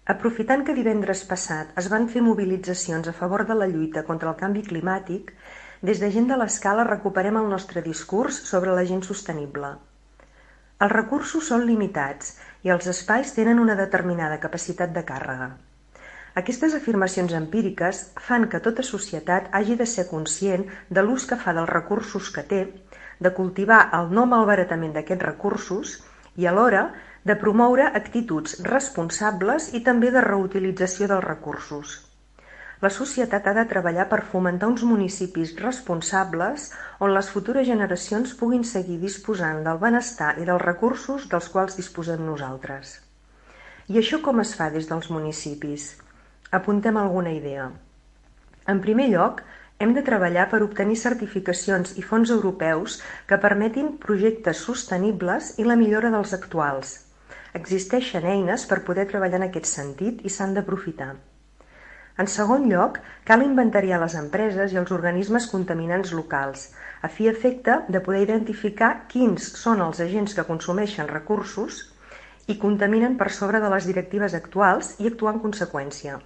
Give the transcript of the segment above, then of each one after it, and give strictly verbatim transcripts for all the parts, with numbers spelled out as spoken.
Aprofitant que divendres passat es van fer mobilitzacions a favor de la lluita contra el canvi climàtic, des de Gent de l'Escala recuperem el nostre discurs sobre la gent sostenible. Els recursos són limitats i els espais tenen una determinada capacitat de càrrega. Aquestes afirmacions empíriques fan que tota societat hagi de ser conscient de l'ús que fa dels recursos que té, de cultivar el no malbaratament d'aquests recursos i alhora de promoure actituds responsables i també de reutilització dels recursos. La societat ha de treballar per fomentar uns municipis responsables on les futures generacions puguin seguir disposant del benestar i dels recursos dels quals disposem nosaltres. I això com es fa des dels municipis? Apuntem alguna idea. En primer lloc, hem de treballar per obtenir certificacions i fons europeus que permetin projectes sostenibles i la millora dels actuals. Existeixen eines per poder treballar en aquest sentit i s'han d'aprofitar. En segon lloc, cal inventariar les empreses i els organismes contaminants locals, a fi i efecte de poder identificar quins són els agents que consumeixen recursos i contaminen per sobre de les directives actuals i actuar en conseqüència.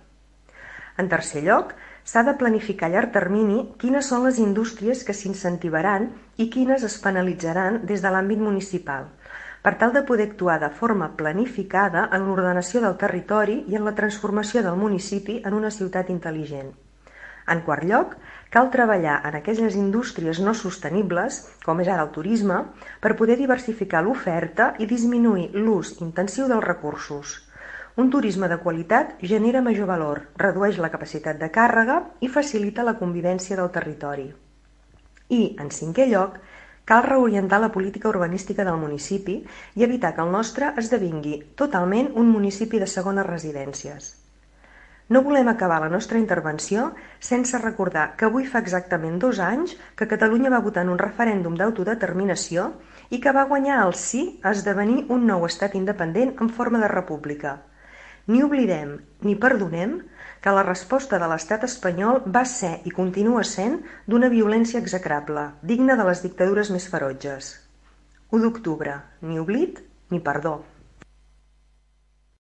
En tercer lloc, s'ha de planificar a llarg termini quines són les indústries que s'incentivaran i quines es penalitzaran des de l'àmbit municipal, per tal de poder actuar de forma planificada en l'ordenació del territori i en la transformació del municipi en una ciutat intel·ligent. En quart lloc, cal treballar en aquelles indústries no sostenibles, com és ara el turisme, per poder diversificar l'oferta i disminuir l'ús intensiu dels recursos. Un turisme de qualitat genera major valor, redueix la capacitat de càrrega i facilita la convivència del territori. I, en cinquè lloc, cal reorientar la política urbanística del municipi i evitar que el nostre esdevingui totalment un municipi de segones residències. No volem acabar la nostra intervenció sense recordar que avui fa exactament dos anys que Catalunya va votar en un referèndum d'autodeterminació i que va guanyar el sí a esdevenir un nou estat independent en forma de república. Ni oblidem ni perdonem que la resposta de l'estat espanyol va ser i continua sent d'una violència execrable, digna de les dictadures més ferotges. u d'octubre, ni oblit ni perdó.